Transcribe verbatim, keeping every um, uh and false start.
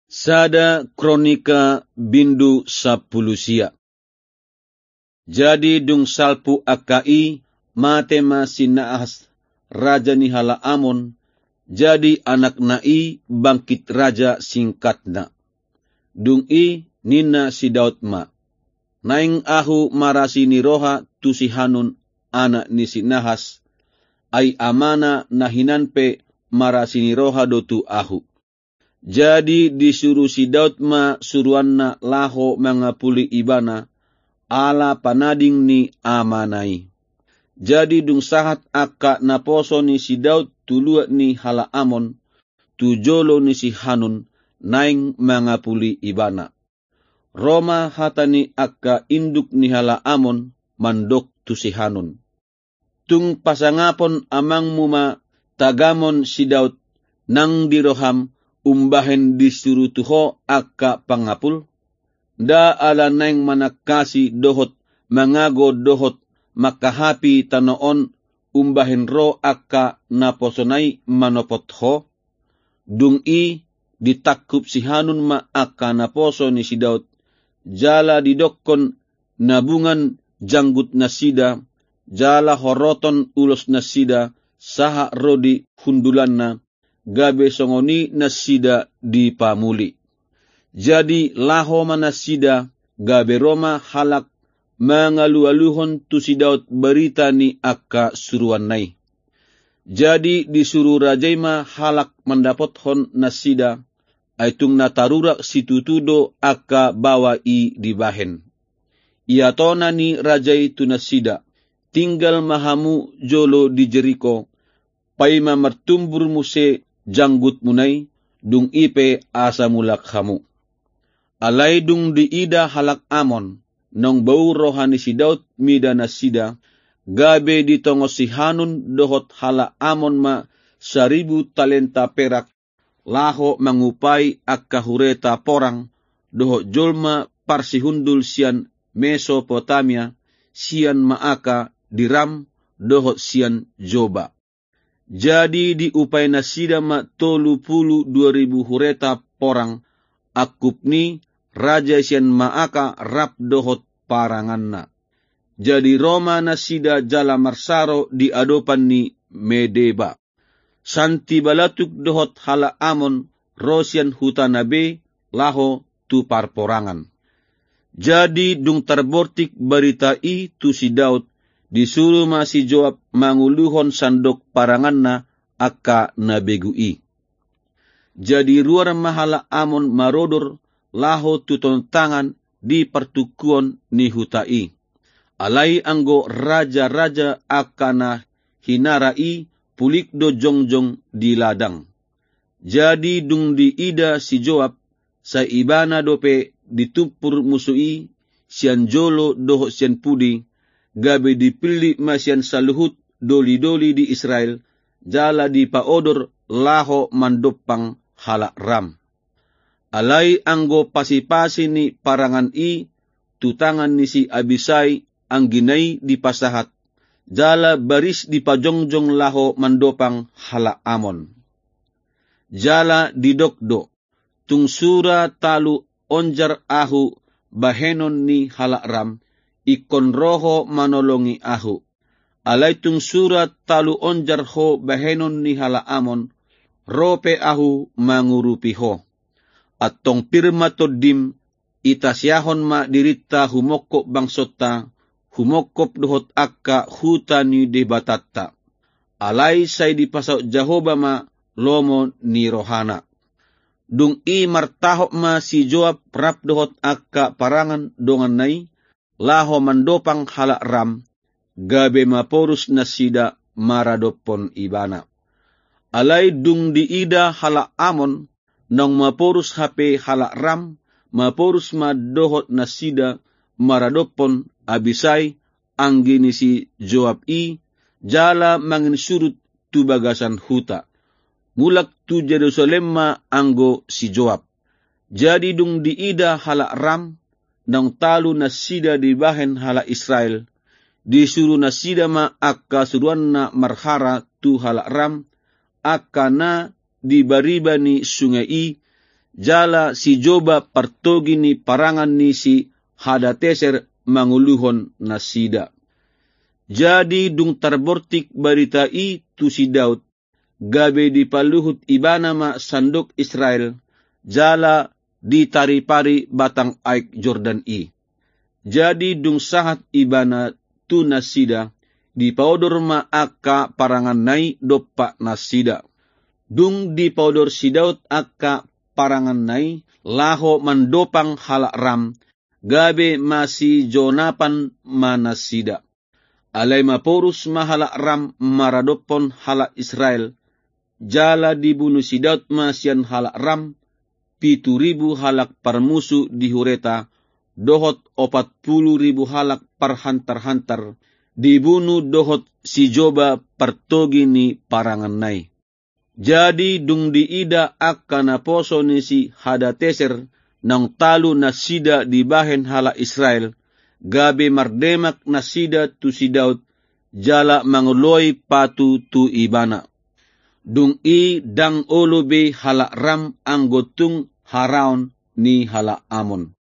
Sada Kronika bindu sampulu sia. Jadi dung salpu angka i, mate ma si Nahas, raja ni halak Amon, jadi anakna i bangkit raja singkatna. Dung i ninna si Daud ma, "Naeng ahu marasi ni roha tu si Hanun, anak ni si Nahas, ai amana na hinan pe marasi ni roha do tu ahu." Jadi disuru si Daud ma suruanna laho mangapuli ibana, ala panading ni amana i. Jadi dung sahat angka naposo ni si Daud tu luat ni halak Amon, tu jolo ni si Hanun, naeng mangapuli ibana. Ro ma hata ni angka induk ni halak Amon mandok tu si Hanun, "Tung pasangapon amangmu ma tagamon si Daud nang di roham umbahen disuru tu ho angka pangapul? Nda ala naeng manangkasi dohot mangago dohot mangkahapi tano on umbahen ro angka naposona i manopot ho?" Dung i ditangkup si Hanun ma angka naposo ni si Daud, jala didokkon nabungan janggut nasida, jala horoton ulos nasida, sahat ro di hundulanna, gabe songon i nasida dipamuli. Jadi laho ma nasida, gabe ro ma halak mangalualuhon tu si Daud barita ni angka suruanna i. Jadi disuru raja i ma halak mandapothon nasida, ai tung na tarurak situtu do angka baoa i dibahen. Iatona ni raja i tu nasida, "Tinggal ma hamu jolo di Jeriko, paima martumbur muse janggutmuna i, dung i pe asa mulak hamu." Alai dung diida halak Amon, naung bau roha ni si Daud mida nasida, gabe ditongon si Hanun dohot halak Amon ma saribu talenta perak, laho mangupai angka hureta porang, dohot jolma parsihundul sian Mesopotamia, sian Maaka di Ram, dohot sian Joba. Jadi diupai nasida ma tolu pulu dua ribu hureta porang, angkup ni raja sian Maaka rap dohot paranganna. Jadi ro ma nasida jala marsaro di adopan ni Medeba. Santi Balatuk dohot halak Amon ro sian hutana be laho tu parporangan. Jadi dung tarbortik barita i tu si Daud, disuru ma si Joab manguluhon sandok paranganna angka na begu i. Jadi ruar ma halak Amon marodor laho tu tontangan di partungkuon ni huta i. Alai anggo raja-raja angka na hinara i pulik do jongjong di ladang. Jadi dung diida si Joab, sai ibana dope ditumpur musu i sian jolo dohot sian pudi, gabe dipillit ma sian saluhut doli-doli di Israel, jala dipaodor laho mandompang halak Ram. Alai anggo pasi-pasi ni parangan i tu tangan ni si Abisai anggina i dipasahat, jala baris dipajongjong laho mandompang halak Amon. Jala didok do, "Tung sura talu onjar ahu bahenon ni halak Ram, ingkon ro ho manolongi ahu. Alai tung sura talu onjar ho bahenon ni halak Amon, ro pe ahu mangurupi ho. Antong pir ma tondim, itasiahon ma dirinta humongkop bangsonta, humongkop dohot angka huta ni Debatanta. Alai sai dipasaut Jahowa ma lomo ni rohana." Dung i martahop ma si Joab rap dohot angka parangan donganna i, laho mandompang halak Ram, gabe maporus nasida maradophon ibana. Alai dung diida halak Amon, naung maporus hape halak Ram, maporus ma dohot nasida maradophon Abisai, anggi ni si Joab i, jala manginsurut tu bagasan huta. Mulak tu Jerusalem ma anggo si Joab. Jadi dung diida halak Ram, naung talu nasida dibahen halak Israel, disuru nasida ma angka suruanna marhara tu halak Ram, angka na di bariba ni sungai i, jala si Joba partogi ni parangan ni si Hadateser manguluhon nasida. Jadi dung tarbortik barita i tu si Daud, gabe dipaluhut ibana ma sandok Israel, jala ditaripari batang aek Jordan i. Jadi dung sahat ibana tu nasida, dipaodor ma angka paranganna i dompak nasida. Dung dipaodor si Daud angka paranganna i laho mandopang halak Ram, gabe masijonapan ma nasida. Alai maporus ma halak Ram maradophon halak Israel, jala dibunu si Daud ma sian halak Ram pitu ribu halak parmusu di hureta, dohot opat pulu ribu halak parhantar-hantar, dibunu dohot si Joba partogi ni paranganna i. Jadi dung diida angka naposo ni si Hadateser naung talu nasida dibahen halak Israel, gabe mardemak nasida tu si Daud, jala mangoloi patu tu ibana. Dung i ndang olo be halak Ram anggo tung haraon ni halak Amon.